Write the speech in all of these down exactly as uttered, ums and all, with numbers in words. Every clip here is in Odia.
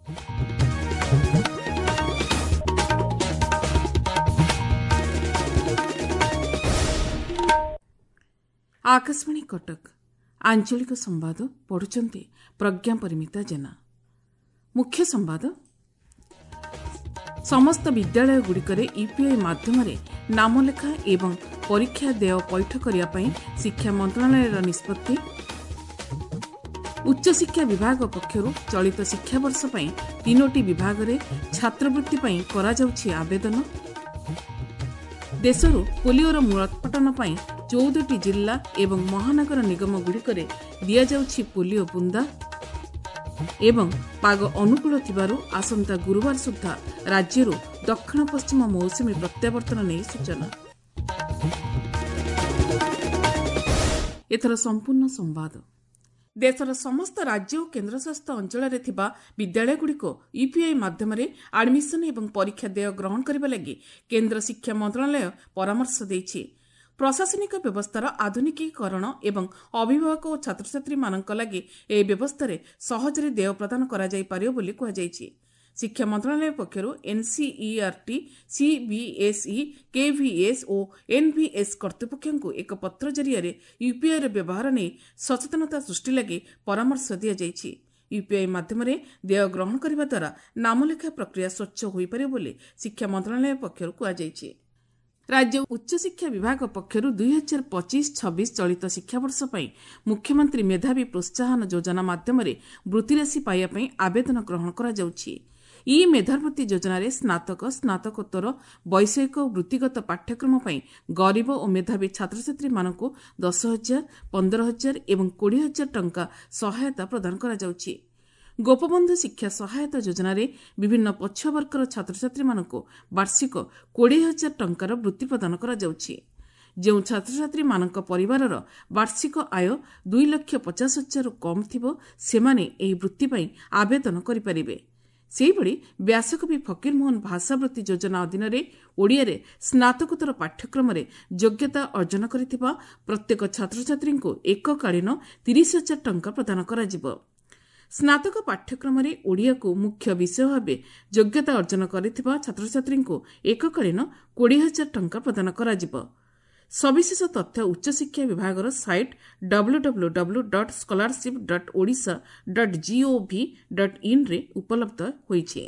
ଆକାଶବାଣୀ କଟକ ଆଞ୍ଚଳିକ ସମ୍ବାଦ ପଢୁଛନ୍ତି ପ୍ରଜ୍ଞା ପରିମିତା ଜେନା। ମୁଖ୍ୟ ସମ୍ବାଦ। ସମସ୍ତ ବିଦ୍ୟାଳୟଗୁଡ଼ିକରେ ୟୁପିଆଇ ମାଧ୍ୟମରେ ନାମଲେଖା ଏବଂ ପରୀକ୍ଷା ଦେୟ ପୈଠ କରିବା ପାଇଁ ଶିକ୍ଷା ମନ୍ତ୍ରଣାଳୟର ନିଷ୍ପତ୍ତି। ଉଚ୍ଚଶିକ୍ଷା ବିଭାଗ ପକ୍ଷରୁ ଚଳିତ ଶିକ୍ଷାବର୍ଷ ପାଇଁ ତିନୋଟି ବିଭାଗରେ ଛାତ୍ରବୃତ୍ତି ପାଇଁ କରାଯାଉଛି ଆବେଦନ। ଦେଶରୁ ପୋଲିଓର ମୂଳୋତ୍ପାଟନ ପାଇଁ ଚଉଦଟି ଜିଲ୍ଲା ଏବଂ ମହାନଗର ନିଗମଗୁଡ଼ିକରେ ଦିଆଯାଉଛି ପୋଲିଓ ବୁନ୍ଦା। ଏବଂ ପାଗ ଅନୁକୂଳ ଥିବାରୁ ଆସନ୍ତା ଗୁରୁବାର ସୁଦ୍ଧା ରାଜ୍ୟରୁ ଦକ୍ଷିଣ ପଶ୍ଚିମ ମୌସୁମୀ ପ୍ରତ୍ୟାବର୍ତ୍ତନ ନେଇ ସୂଚନା। ଏଥର ସମ୍ପୂର୍ଣ୍ଣ ସମ୍ବାଦ। ଦେଶର ସମସ୍ତ ରାଜ୍ୟ ଓ କେନ୍ଦ୍ରଶାସିତ ଅଞ୍ଚଳରେ ଥିବା ବିଦ୍ୟାଳୟଗୁଡ଼ିକୁ ୟୁପିଆଇ ମାଧ୍ୟମରେ ଆଡମିସନ ଏବଂ ପରୀକ୍ଷା ଦେୟ ଗ୍ରହଣ କରିବା ଲାଗି କେନ୍ଦ୍ର ଶିକ୍ଷା ମନ୍ତ୍ରଣାଳୟ ପରାମର୍ଶ ଦେଇଛି। ପ୍ରଶାସନିକ ବ୍ୟବସ୍ଥାର ଆଧୁନିକୀକରଣ ଏବଂ ଅଭିଭାବକ ଓ ଛାତ୍ରଛାତ୍ରୀମାନଙ୍କ ଲାଗି ଏହି ବ୍ୟବସ୍ଥାରେ ସହଜରେ ଦେୟ ପ୍ରଦାନ କରାଯାଇପାରିବ ବୋଲି କୁହାଯାଇଛି। ଶିକ୍ଷା ମନ୍ତ୍ରଣାଳୟ ପକ୍ଷରୁ ଏନ୍ସିଇଆରଟି, ସିବିଏସ୍ଇ, କେଭିଏସ୍ ଓ ଏନ୍ଭିଏସ୍ କର୍ତ୍ତୃପକ୍ଷଙ୍କୁ ଏକ ପତ୍ର ଜରିଆରେ ୟୁପିଆଇର ବ୍ୟବହାର ନେଇ ସଚେତନତା ସୃଷ୍ଟି ଲାଗି ପରାମର୍ଶ ଦିଆଯାଇଛି। ୟୁପିଆଇ ମାଧ୍ୟମରେ ଦେୟ ଗ୍ରହଣ କରିବା ଦ୍ୱାରା ନାମଲେଖା ପ୍ରକ୍ରିୟା ସ୍ୱଚ୍ଛ ହୋଇପାରିବ ବୋଲି ଶିକ୍ଷା ମନ୍ତ୍ରଣାଳୟ ପକ୍ଷରୁ କୁହାଯାଇଛି। ରାଜ୍ୟ ଉଚ୍ଚଶିକ୍ଷା ବିଭାଗ ପକ୍ଷରୁ ଦୁଇ ହଜାର ପଚିଶ ଛବିଶ ଚଳିତ ଶିକ୍ଷାବର୍ଷ ପାଇଁ ମୁଖ୍ୟମନ୍ତ୍ରୀ ମେଧାବୀ ପ୍ରୋତ୍ସାହନ ଯୋଜନା ମାଧ୍ୟମରେ ବୃତ୍ତିରାଶି ପାଇବା ପାଇଁ ଆବେଦନ ଗ୍ରହଣ କରାଯାଉଛି। ଇ ମେଧାବୃତ୍ତି ଯୋଜନାରେ ସ୍ନାତକ, ସ୍ନାତକୋତ୍ତର, ବୈଷୟିକ ଓ ବୃତ୍ତିଗତ ପାଠ୍ୟକ୍ରମ ପାଇଁ ଗରିବ ଓ ମେଧାବୀ ଛାତ୍ରଛାତ୍ରୀମାନଙ୍କୁ ଦଶ ହଜାର, ପନ୍ଦର ହଜାର ଏବଂ କୋଡ଼ିଏ ହଜାର ଟଙ୍କା ସହାୟତା ପ୍ରଦାନ କରାଯାଉଛି। ଗୋପବନ୍ଧୁ ଶିକ୍ଷା ସହାୟତା ଯୋଜନାରେ ବିଭିନ୍ନ ପଛୁଆବର୍ଗର ଛାତ୍ରଛାତ୍ରୀମାନଙ୍କୁ ବାର୍ଷିକ କୋଡ଼ିଏ ହଜାର ଟଙ୍କାର ବୃତ୍ତି ପ୍ରଦାନ କରାଯାଉଛି। ଯେଉଁ ଛାତ୍ରଛାତ୍ରୀମାନଙ୍କ ପରିବାରର ବାର୍ଷିକ ଆୟ ଦୁଇ ଲକ୍ଷ ପଚାଶ ହଜାରରୁ କମ୍ ଥିବ, ସେମାନେ ଏହି ବୃତ୍ତି ପାଇଁ ଆବେଦନ କରିପାରିବେ। ସେହିଭଳି ବ୍ୟାସକବି ଫକୀରମୋହନ ଭାଷାବୃତ୍ତି ଯୋଜନା ଅଧୀନରେ ଓଡ଼ିଆରେ ସ୍ନାତକୋତ୍ତର ପାଠ୍ୟକ୍ରମରେ ଯୋଗ୍ୟତା ଅର୍ଜନ କରିଥିବା ପ୍ରତ୍ୟେକ ଛାତ୍ରଛାତ୍ରୀଙ୍କୁ ଏକକାଳୀନ ତିରିଶ ହଜାର ଟଙ୍କା ପ୍ରଦାନ କରାଯିବ। ସ୍ନାତକ ପାଠ୍ୟକ୍ରମରେ ଓଡ଼ିଆକୁ ମୁଖ୍ୟ ବିଷୟ ଭାବେ ଯୋଗ୍ୟତା ଅର୍ଜନ କରିଥିବା ଛାତ୍ରଛାତ୍ରୀଙ୍କୁ ଏକକାଳୀନ କୋଡ଼ିଏ ହଜାର ଟଙ୍କା ପ୍ରଦାନ କରାଯିବ। ସବିଶେଷ ତଥ୍ୟ ଉଚ୍ଚଶିକ୍ଷା ବିଭାଗର site W W W dot scholarship dot Odisha dot gov dot ଇନ୍ରେ ଉପଲବ୍ଧ ହୋଇଛି।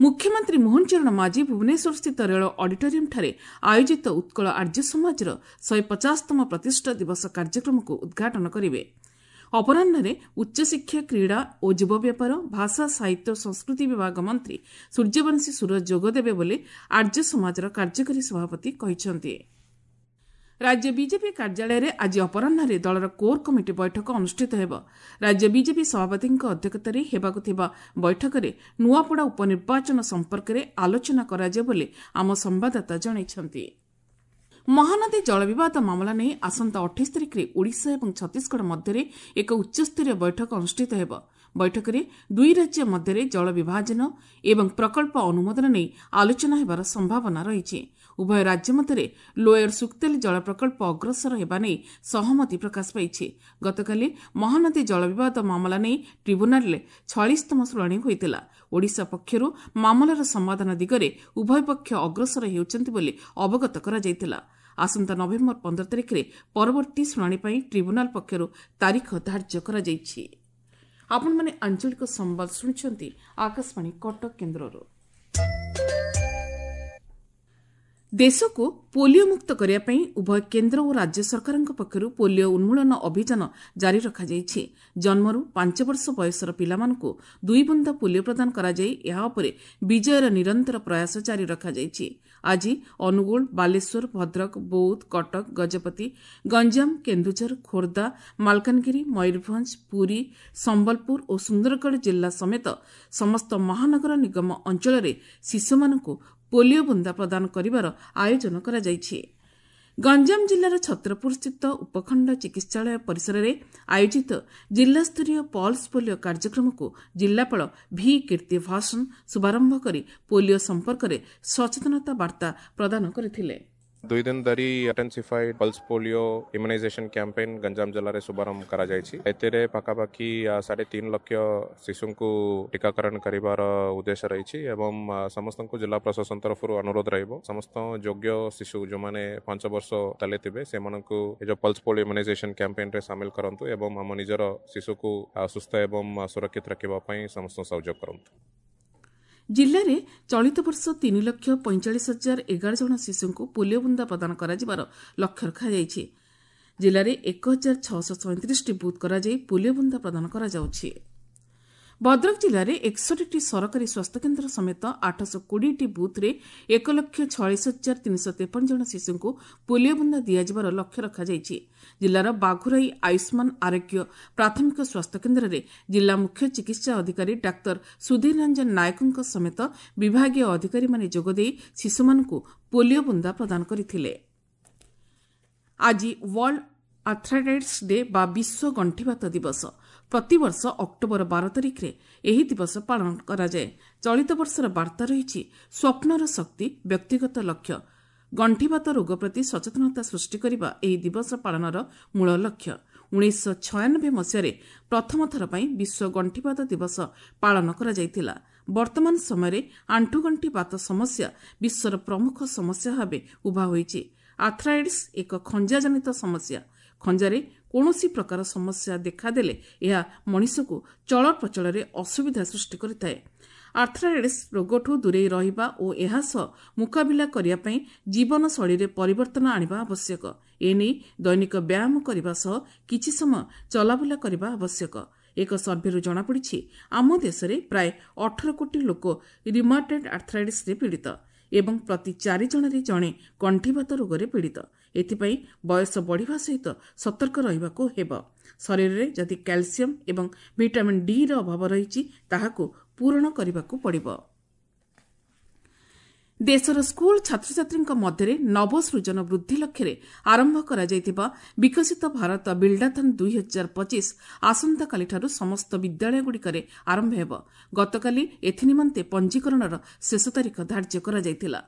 ମୁଖ୍ୟମନ୍ତ୍ରୀ ମୋହନ ଚରଣ ମାଝୀ ଭୁବନେଶ୍ୱରସ୍ଥିତ ରେଳ ଅଡିଟୋରିୟମ୍ଠାରେ ଆୟୋଜିତ ଉତ୍କଳ ଆର୍ଯ୍ୟ ସମାଜର ଶହେ ପଚାଶତମ ପ୍ରତିଷ୍ଠା ଦିବସ କାର୍ଯ୍ୟକ୍ରମକୁ ଉଦ୍ଘାଟନ କରିବେ। ଅପରାହ୍ନରେ ଉଚ୍ଚଶିକ୍ଷା, କ୍ରୀଡ଼ା ଓ ଯୁବ ବ୍ୟାପାର, ଭାଷା, ସାହିତ୍ୟ ଓ ସଂସ୍କୃତି ବିଭାଗ ମନ୍ତ୍ରୀ ସୂର୍ଯ୍ୟବଂଶୀ ସୂରଜ ଯୋଗଦେବେ ବୋଲି ଆର୍ଯ୍ୟ ସମାଜର କାର୍ଯ୍ୟକାରୀ ସଭାପତି କହିଛନ୍ତି। ରାଜ୍ୟ ବିଜେପି କାର୍ଯ୍ୟାଳୟରେ ଆଜି ଅପରାହ୍ନରେ ଦଳର କୋର୍ କମିଟି ବୈଠକ ଅନୁଷ୍ଠିତ ହେବ। ରାଜ୍ୟ ବିଜେପି ସଭାପତିଙ୍କ ଅଧ୍ୟକ୍ଷତାରେ ହେବାକୁ ଥିବା ବୈଠକରେ ନୂଆପଡ଼ା ଉପନିର୍ବାଚନ ସମ୍ପର୍କରେ ଆଲୋଚନା କରାଯିବ ବୋଲି ଆମ ସମ୍ବାଦଦାତା ଜଣାଇଛନ୍ତି। ମହାନଦୀ ଜଳବିବାଦ ମାମଲା ନେଇ ଆସନ୍ତା ଅଠେଇଶ ତାରିଖରେ ଓଡ଼ିଶା ଏବଂ ଛତିଶଗଡ଼ ମଧ୍ୟରେ ଏକ ଉଚ୍ଚସ୍ତରୀୟ ବୈଠକ ଅନୁଷ୍ଠିତ ହେବ। ବୈଠକରେ ଦୁଇ ରାଜ୍ୟ ମଧ୍ୟରେ ଜଳ ବିଭାଜନ ଏବଂ ପ୍ରକଳ୍ପ ଅନୁମୋଦନ ନେଇ ଆଲୋଚନା ହେବାର ସମ୍ଭାବନା ରହିଛି। ଉଭୟ ରାଜ୍ୟ ମଧ୍ୟରେ ଲୋୟର ସୁକ୍ତେଲ ଜଳ ପ୍ରକଳ୍ପ ଅଗ୍ରସର ହେବା ନେଇ ସହମତି ପ୍ରକାଶ ପାଇଛି। ଗତକାଲି ମହାନଦୀ ଜଳବିବାଦ ମାମଲା ନେଇ ଟ୍ରିବ୍ୟୁନାଲରେ ଛୟାଳିଶତମ ଶୁଣାଣି ହୋଇଥିଲା। ଓଡ଼ିଶା ପକ୍ଷରୁ ମାମଲାର ସମାଧାନ ଦିଗରେ ଉଭୟ ପକ୍ଷ ଅଗ୍ରସର ହେଉଛନ୍ତି ବୋଲି ଅବଗତ କରାଯାଇଥିଲା। ଆସନ୍ତା ନଭେମ୍ବର ପନ୍ଦର ତାରିଖରେ ପରବର୍ତ୍ତୀ ଶୁଣାଣି ପାଇଁ ଟ୍ରିବ୍ୟୁନାଲ ପକ୍ଷରୁ ତାରିଖ ଧାର୍ଯ୍ୟ କରାଯାଇଛି। ଆପଣମାନେ ଆଞ୍ଚଳିକ ସମ୍ବାଦ ଶୁଣୁଛନ୍ତି ଆକାଶବାଣୀ କଟକ କେନ୍ଦ୍ରରୁ। ଦେଶକୁ ପୋଲିଓ ମୁକ୍ତ କରିବା ପାଇଁ ଉଭୟ କେନ୍ଦ୍ର ଓ ରାଜ୍ୟ ସରକାରଙ୍କ ପକ୍ଷରୁ ପୋଲିଓ ଉନ୍ମୂଳନ ଅଭିଯାନ ଜାରି ରଖାଯାଇଛି। ଜନ୍ମରୁ ପାଞ୍ଚ ବର୍ଷ ବୟସର ପିଲାମାନଙ୍କୁ ଦୁଇ ବୁନ୍ଦା ପୋଲିଓ ପ୍ରଦାନ କରାଯାଇ ଏହା ଉପରେ ବିଜୟର ନିରନ୍ତର ପ୍ରୟାସ ଜାରି ରଖାଯାଇଛି। ଆଜି ଅନୁଗୁଳ, ବାଲେଶ୍ୱର, ଭଦ୍ରକ, ବୌଦ୍ଧ, କଟକ, ଗଜପତି, ଗଞ୍ଜାମ, କେନ୍ଦୁଝର, ଖୋର୍ଦ୍ଧା, ମାଲକାନଗିରି, ମୟୂରଭଞ୍ଜ, ପୁରୀ, ସମ୍ବଲପୁର ଓ ସୁନ୍ଦରଗଡ଼ ଜିଲ୍ଲା ସମେତ ସମସ୍ତ ମହାନଗର ନିଗମ ଅଞ୍ଚଳରେ ଶିଶୁମାନଙ୍କୁ ପୋଲିଓ ବୁନ୍ଦା ପ୍ରଦାନ କରିବାର ଆୟୋଜନ କରାଯାଇଛି। ଗଞ୍ଜାମ ଜିଲ୍ଲାର ଛତ୍ରପୁରସ୍ଥିତ ଉପଖଣ୍ଡ ଚିକିତ୍ସାଳୟ ପରିସରରେ ଆୟୋଜିତ ଜିଲ୍ଲାସ୍ତରୀୟ ପଲ୍ସ ପୋଲିଓ କାର୍ଯ୍ୟକ୍ରମକୁ ଜିଲ୍ଲାପାଳ ଭି କୀର୍ତ୍ତି ଭାସନ ଶୁଭାରମ୍ଭ କରି ପୋଲିଓ ସମ୍ପର୍କରେ ସଚେତନତା ବାର୍ତ୍ତା ପ୍ରଦାନ କରିଥିଲେ। ଦୁଇ ଦିନ ଧରି intensified pulse polio immunization campaign Ganjam ଜିଲ୍ଲାରେ ଶୁଭାରମ୍ଭ କରାଯାଇଛି। ଏଥିରେ ପାଖାପାଖି ସାଢ଼େ ତିନି ଲକ୍ଷ ଶିଶୁଙ୍କୁ ଟିକାକରଣ କରିବାର ଉଦ୍ଦେଶ୍ୟ ରହିଛି ଏବଂ ସମସ୍ତଙ୍କୁ ଜିଲ୍ଲା ପ୍ରଶାସନ ତରଫରୁ ଅନୁରୋଧ ରହିବ, ସମସ୍ତ ଯୋଗ୍ୟ ଶିଶୁ ଯେଉଁମାନେ ପାଞ୍ଚ ବର୍ଷ ତଳେ ଥିବେ ସେମାନଙ୍କୁ ଏ ଯେଉଁ ପଲ୍ସ ପୋଲିଓ ଇମ୍ୟୁନାଇଜେସନ କ୍ୟାମ୍ପେନ୍ରେ ସାମିଲ କରନ୍ତୁ ଏବଂ ଆମ ନିଜର ଶିଶୁକୁ ସୁସ୍ଥ ଏବଂ ସୁରକ୍ଷିତ ରଖିବା ପାଇଁ ସମସ୍ତଙ୍କୁ ସହଯୋଗ କରନ୍ତୁ। ଜିଲ୍ଲାରେ ଚଳିତ ବର୍ଷ ତିନି ଲକ୍ଷ ପଇଁଚାଳିଶ ହଜାର ଏଗାର ଜଣ ଶିଶୁଙ୍କୁ ପୋଲିଓ ବୁନ୍ଦା ପ୍ରଦାନ କରାଯିବାର ଲକ୍ଷ୍ୟ ରଖାଯାଇଛି। ଜିଲ୍ଲାରେ ଏକ ହଜାର ଛଅଶହ ସଇଁତିରିଶଟି ବୁଥ୍ କରାଯାଇ ପୋଲିଓ ବୁନ୍ଦା ପ୍ରଦାନ କରାଯାଉଛି। ଭଦ୍ରକ ଜିଲ୍ଲାରେ ଏକଷଠିଟି ସରକାରୀ ସ୍ୱାସ୍ଥ୍ୟକେନ୍ଦ୍ର ସମେତ ଆଠଶହ କୋଡ଼ିଏଟି ବୁଥ୍ରେ ଏକ ଲକ୍ଷ ଛୟାଳିଶ ହଜାର ତିନିଶହ ତେପନ ଜଣ ଶିଶୁଙ୍କୁ ପୋଲିଓ ବୁନ୍ଦା ଦିଆଯିବାର ଲକ୍ଷ୍ୟ ରଖାଯାଇଛି। ଜିଲ୍ଲାର ବାଘୁରାଇ ଆୟୁଷ୍ମାନ ଆରୋଗ୍ୟ ପ୍ରାଥମିକ ସ୍ୱାସ୍ଥ୍ୟକେନ୍ଦ୍ରରେ ଜିଲ୍ଲା ମୁଖ୍ୟ ଚିକିତ୍ସା ଅଧିକାରୀ ଡାକ୍ତର ସୁଧୀର ରଞ୍ଜନ ନାୟକଙ୍କ ସମେତ ବିଭାଗୀୟ ଅଧିକାରୀମାନେ ଯୋଗଦେଇ ଶିଶୁମାନଙ୍କୁ ପୋଲିଓ ବୁନ୍ଦା ପ୍ରଦାନ କରିଥିଲେ। ଆଜି ୱାର୍ଲଡ ଆର୍ଥ୍ରାଇଟିସ୍ ଡେ ବା ବିଶ୍ୱ ଗଣ୍ଠିବାତ ଦିବସ। ପ୍ରତିବର୍ଷ ଅକ୍ଟୋବର ବାର ତାରିଖରେ ଏହି ଦିବସ ପାଳନ କରାଯାଏ। ଚଳିତ ବର୍ଷର ବାର୍ତ୍ତା ରହିଛି ସ୍ୱପ୍ନର ଶକ୍ତି, ବ୍ୟକ୍ତିଗତ ଲକ୍ଷ୍ୟ। ଗଣ୍ଠିବାତ ରୋଗ ପ୍ରତି ସଚେତନତା ସୃଷ୍ଟି କରିବା ଏହି ଦିବସ ପାଳନର ମୂଳ ଲକ୍ଷ୍ୟ। ଉଣେଇଶହ ଛୟାନବେ ମସିହାରେ ପ୍ରଥମ ଥର ପାଇଁ ବିଶ୍ୱ ଗଣ୍ଠିବାତ ଦିବସ ପାଳନ କରାଯାଇଥିଲା। ବର୍ତ୍ତମାନ ସମୟରେ ଆଣ୍ଠୁଗଣ୍ଠି ବାତ ସମସ୍ୟା ବିଶ୍ୱର ପ୍ରମୁଖ ସମସ୍ୟା ଭାବେ ଉଭା ହୋଇଛି। ଆର୍ଥ୍ରାଇଟିସ୍ ଏକ ଖଞ୍ଜାଜନିତ ସମସ୍ୟା। ଖଞ୍ଜାରେ କୌଣସି ପ୍ରକାର ସମସ୍ୟା ଦେଖାଦେଲେ ଏହା ମଣିଷକୁ ଚଳପ୍ରଚଳରେ ଅସୁବିଧା ସୃଷ୍ଟି କରିଥାଏ। ଆର୍ଥ୍ରାଇଟିସ୍ ରୋଗଠୁ ଦୂରେଇ ରହିବା ଓ ଏହା ସହ ମୁକାବିଲା କରିବା ପାଇଁ ଜୀବନଶୈଳୀରେ ପରିବର୍ତ୍ତନ ଆଣିବା ଆବଶ୍ୟକ। ଏନେଇ ଦୈନିକ ବ୍ୟାୟାମ କରିବା ସହ କିଛି ସମୟ ଚଲାବୁଲା କରିବା ଆବଶ୍ୟକ। ଏକ ସର୍ଭେରୁ ଜଣାପଡ଼ିଛି ଆମ ଦେଶରେ ପ୍ରାୟ ଅଠର କୋଟି ଲୋକ ରିମାଟଏଡ୍ ଆର୍ଥ୍ରାଇଟିସ୍ରେ ପୀଡ଼ିତ ଏବଂ ପ୍ରତି ଚାରି ଜଣରେ ଜଣେ ଗଣ୍ଠିବାତ ରୋଗରେ ପୀଡ଼ିତ। ଏଥିପାଇଁ ବୟସ ବଢ଼ିବା ସହିତ ସତର୍କ ରହିବାକୁ ହେବ। ଶରୀରରେ ଯଦି କ୍ୟାଲସିୟମ୍ ଏବଂ ଭିଟାମିନ୍ ଡିର ଅଭାବ ରହିଛି ତାହାକୁ ପୂରଣ କରିବାକୁ ପଡ଼ିବ। ଦେଶର ସ୍କୁଲ ଛାତ୍ରଛାତ୍ରୀଙ୍କ ମଧ୍ୟରେ ନବସୃଜନ ବୃଦ୍ଧି ଲକ୍ଷ୍ୟରେ ଆରମ୍ଭ କରାଯାଇଥିବା ବିକଶିତ ଭାରତ ବିଲ୍ଡାଥନ୍ ଦୁଇ ହଜାର ପଚିଶ ଆସନ୍ତାକାଲିଠାରୁ ସମସ୍ତ ବିଦ୍ୟାଳୟଗୁଡ଼ିକରେ ଆରମ୍ଭ ହେବ। ଗତକାଲି ଏଥିନିମନ୍ତେ ପଞ୍ଜୀକରଣର ଶେଷ ତାରିଖ ଧାର୍ଯ୍ୟ କରାଯାଇଥିଲା।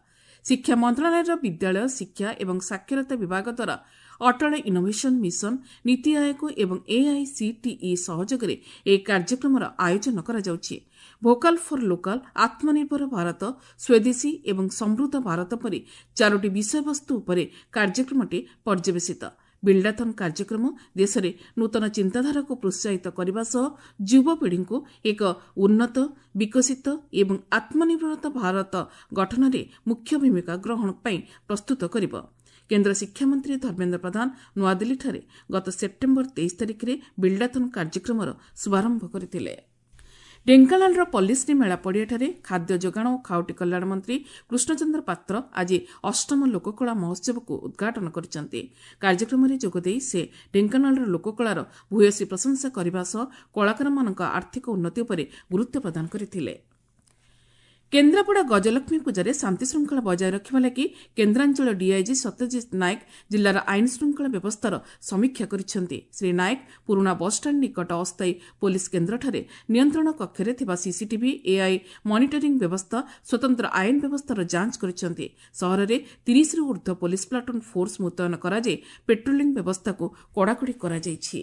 ଶିକ୍ଷା ମନ୍ତ୍ରଣାଳୟର ବିଦ୍ୟାଳୟ ଶିକ୍ଷା ଏବଂ ସାକ୍ଷରତା ବିଭାଗ ଦ୍ୱାରା ଅଟଳ ଇନୋଭେସନ୍ ମିଶନ, ନୀତି ଆୟୋଗ ଏବଂ ଏଆଇସିଟିଇ ସହଯୋଗରେ ଏହି କାର୍ଯ୍ୟକ୍ରମର ଆୟୋଜନ କରାଯାଉଛି। ଭୋକାଲ୍ ଫର୍ ଲୋକାଲ୍, ଆତ୍ମନିର୍ଭର ଭାରତ, ସ୍ୱଦେଶୀ ଏବଂ ସମୃଦ୍ଧ ଭାରତ ପରି ଚାରୋଟି ବିଷୟବସ୍ତୁ ଉପରେ କାର୍ଯ୍ୟକ୍ରମଟି ପର୍ଯ୍ୟବେସିତ। ବିଲ୍ଡାଥନ୍ କାର୍ଯ୍ୟକ୍ରମ ଦେଶରେ ନୂତନ ଚିନ୍ତାଧାରାକୁ ପ୍ରୋତ୍ସାହିତ କରିବା ସହ ଯୁବପିଢ଼ିଙ୍କୁ ଏକ ଉନ୍ନତ, ବିକଶିତ ଏବଂ ଆତ୍ମନିର୍ଭରତା ଭାରତ ଗଠନରେ ମୁଖ୍ୟ ଭୂମିକା ଗ୍ରହଣ ପାଇଁ ପ୍ରସ୍ତୁତ କରିବ। କେନ୍ଦ୍ର ଶିକ୍ଷାମନ୍ତ୍ରୀ ଧର୍ମେନ୍ଦ୍ର ପ୍ରଧାନ ନୂଆଦିଲ୍ଲୀଠାରେ ଗତ ସେପ୍ଟେମ୍ବର ତେଇଶ ତାରିଖରେ ବିଲ୍ଡାଥନ୍ କାର୍ଯ୍ୟକ୍ରମର ଶୁଭାରମ୍ଭ କରିଥିଲେ। ଢେଙ୍କାନାଳର ପଲ୍ଲୀଶ୍ରୀ ମେଳା ପଡ଼ିଆଠାରେ ଖାଦ୍ୟ ଯୋଗାଣ ଓ ଖାଉଟି କଲ୍ୟାଣ ମନ୍ତ୍ରୀ କୃଷ୍ଣଚନ୍ଦ୍ର ପାତ୍ର ଆଜି ଅଷ୍ଟମ ଲୋକକଳା ମହୋତ୍ସବକୁ ଉଦ୍ଘାଟନ କରିଛନ୍ତି। କାର୍ଯ୍ୟକ୍ରମରେ ଯୋଗଦେଇ ସେ ଢେଙ୍କାନାଳର ଲୋକକଳାର ଭୂୟସୀ ପ୍ରଶଂସା କରିବା ସହ କଳାକାରମାନଙ୍କ ଆର୍ଥିକ ଉନ୍ନତି ଉପରେ ଗୁରୁତ୍ୱ ପ୍ରଦାନ କରିଥିଲେ। କେନ୍ଦ୍ରାପଡ଼ା ଗଜଲକ୍ଷ୍ମୀ ପୂଜାରେ ଶାନ୍ତିଶୃଙ୍ଖଳା ବଜାୟ ରଖିବା ଲାଗି କେନ୍ଦ୍ରାଞ୍ଚଳ ଡିଆଇଜି ସତ୍ୟଜିତ ନାୟକ ଜିଲ୍ଲାର ଆଇନ ଶୃଙ୍ଖଳା ବ୍ୟବସ୍ଥାର ସମୀକ୍ଷା କରିଛନ୍ତି। ଶ୍ରୀ ନାୟକ ପୁରୁଣା ବସ୍ଷ୍ଟାଣ୍ଡ ନିକଟ ଅସ୍ଥାୟୀ ପୋଲିସ କେନ୍ଦ୍ରଠାରେ ନିୟନ୍ତ୍ରଣ କକ୍ଷରେ ଥିବା ସିସିଟିଭି, ଏଆଇ ମନିଟରିଂ ବ୍ୟବସ୍ଥା, ସ୍ୱତନ୍ତ୍ର ଆଇନ ବ୍ୟବସ୍ଥାର ଯାଞ୍ଚ କରିଛନ୍ତି। ସହରରେ ତିରିଶରୁ ଊର୍ଦ୍ଧ୍ୱ ପୋଲିସ ପ୍ଲାଟୁନ୍ ଫୋର୍ସ ମୁତୟନ କରାଯାଇ ପେଟ୍ରୋଲିଂ ବ୍ୟବସ୍ଥାକୁ କଡ଼ାକଡ଼ି କରାଯାଇଛି।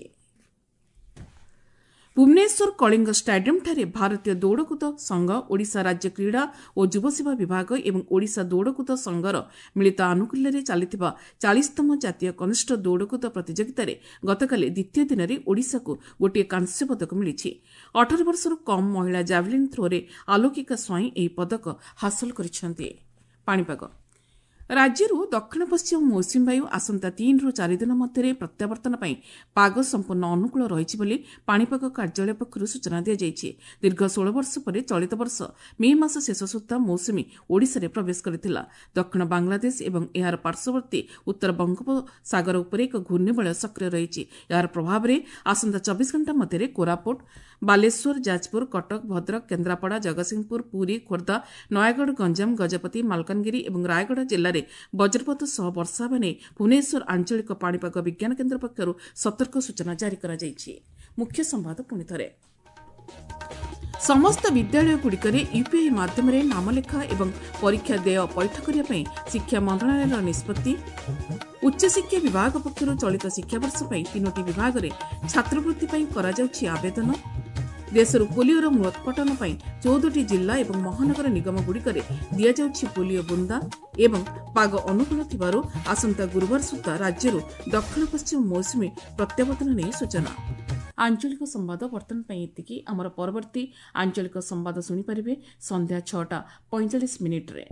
ଭୁବନେଶ୍ୱର କଳିଙ୍ଗ ଷ୍ଟାଡିୟମ୍ଠାରେ ଭାରତୀୟ ଦୌଡ଼କୁଦ ସଂଘ, ଓଡ଼ିଶା ରାଜ୍ୟ କ୍ରୀଡ଼ା ଓ ଯୁବସେବା ବିଭାଗ ଏବଂ ଓଡ଼ିଶା ଦୌଡ଼କୁଦ ସଂଘର ମିଳିତ ଆନୁକୂଲ୍ୟରେ ଚାଲିଥିବା ଚାଳିଶତମ ଜାତୀୟ କନିଷ୍ଠ ଦୌଡ଼କୁଦ ପ୍ରତିଯୋଗିତାରେ ଗତକାଲି ଦ୍ୱିତୀୟ ଦିନରେ ଓଡ଼ିଶାକୁ ଗୋଟିଏ କାଂସ୍ୟ ପଦକ ମିଳିଛି। ଅଠର ବର୍ଷରୁ କମ୍ ମହିଳା ଜାଭେଲିନ୍ ଥ୍ରୋରେ ଆଲୋକିକା ସ୍ୱାଇଁ ଏହି ପଦକ ହାସଲ କରିଛନ୍ତି। ପାଣିପାଗ ରାଜ୍ୟରୁ ଦକ୍ଷିଣ ପଶ୍ଚିମ ମୌସୁମୀ ବାୟୁ ଆସନ୍ତା ତିନିରୁ ଚାରି ଦିନ ମଧ୍ୟରେ ପ୍ରତ୍ୟାବର୍ତ୍ତନ ପାଇଁ ପାଗ ସମ୍ପୂର୍ଣ୍ଣ ଅନୁକୂଳ ରହିଛି ବୋଲି ପାଣିପାଗ କାର୍ଯ୍ୟାଳୟ ପକ୍ଷରୁ ସୂଚନା ଦିଆଯାଇଛି। ଦୀର୍ଘ ଷୋହଳ ବର୍ଷ ପରେ ଚଳିତ ବର୍ଷ ମେ ମାସ ଶେଷ ସୁଦ୍ଧା ମୌସୁମୀ ଓଡ଼ିଶାରେ ପ୍ରବେଶ କରିଥିଲା। ଦକ୍ଷିଣ ବାଂଲାଦେଶ ଏବଂ ଏହାର ପାର୍ଶ୍ୱବର୍ତ୍ତୀ ଉତ୍ତର ବଙ୍ଗୋପସାଗର ଉପରେ ଏକ ଘୂର୍ଣ୍ଣିବଳୟ ସକ୍ରିୟ ରହିଛି। ଏହାର ପ୍ରଭାବରେ ଆସନ୍ତା ଚବିଶ ଘଣ୍ଟା ମଧ୍ୟରେ କୋରାପୁଟ, ବାଲେଶ୍ୱର, ଯାଜପୁର, କଟକ, ଭଦ୍ରକ, କେନ୍ଦ୍ରାପଡ଼ା, ଜଗତସିଂହପୁର, ପୁରୀ, ଖୋର୍ଦ୍ଧା, ନୟାଗଡ଼, ଗଞ୍ଜାମ, ଗଜପତି, ମାଲକାନଗିରି ଏବଂ ରାୟଗଡ଼ା ଜିଲ୍ଲାରେ ବଜ୍ରପାତ ସହ ବର୍ଷା ହେବା ନେଇ ଭୁବନେଶ୍ୱର ଆଞ୍ଚଳିକ ପାଣିପାଗ ବିଜ୍ଞାନ କେନ୍ଦ୍ର ପକ୍ଷରୁ ସତର୍କ ସୂଚନା ଜାରି କରାଯାଇଛି। ମୁଖ୍ୟ ସମ୍ବାଦ ପୁଣି ଥରେ। ସମସ୍ତ ବିଦ୍ୟାଳୟଗୁଡ଼ିକରେ ୟୁପିଆଇ ମାଧ୍ୟମରେ ନାମଲେଖା ଏବଂ ପରୀକ୍ଷା ଦେୟ ପୈଠ କରିବା ପାଇଁ ଶିକ୍ଷା ମନ୍ତ୍ରଣାଳୟର ନିଷ୍ପତ୍ତି। ଉଚ୍ଚଶିକ୍ଷା ବିଭାଗ ପକ୍ଷରୁ ଚଳିତ ଶିକ୍ଷାବର୍ଷ ପାଇଁ ତିନୋଟି ବିଭାଗରେ ଛାତ୍ରବୃତ୍ତି ପାଇଁ କରାଯାଉଛି ଆବେଦନ। ଦେଶରୁ ପୋଲିଓର ମୂଳୋତ୍ପାଟନ ପାଇଁ ଚଉଦଟି ଜିଲ୍ଲା ଏବଂ ମହାନଗର ନିଗମଗୁଡ଼ିକରେ ଦିଆଯାଉଛି ପୋଲିଓ ବୁନ୍ଦା। ଏବଂ ପାଗ ଅନୁକୂଳ ଥିବାରୁ ଆସନ୍ତା ଗୁରୁବାର ସୁଦ୍ଧା ରାଜ୍ୟରୁ ଦକ୍ଷିଣ ପଶ୍ଚିମ ମୌସୁମୀ ପ୍ରତ୍ୟାବର୍ତ୍ତନ ନେଇ ସୂଚନା। ଆଞ୍ଚଳିକ ସମ୍ବାଦ ବର୍ତ୍ତମାନ ପାଇଁ ଏତିକି। ଆମର ପରବର୍ତ୍ତୀ ଆଞ୍ଚଳିକ ସମ୍ବାଦ ଶୁଣିପାରିବେ ସନ୍ଧ୍ୟା ଛଅଟା ପଇଁଚାଳିଶ ମିନିଟ୍ରେ।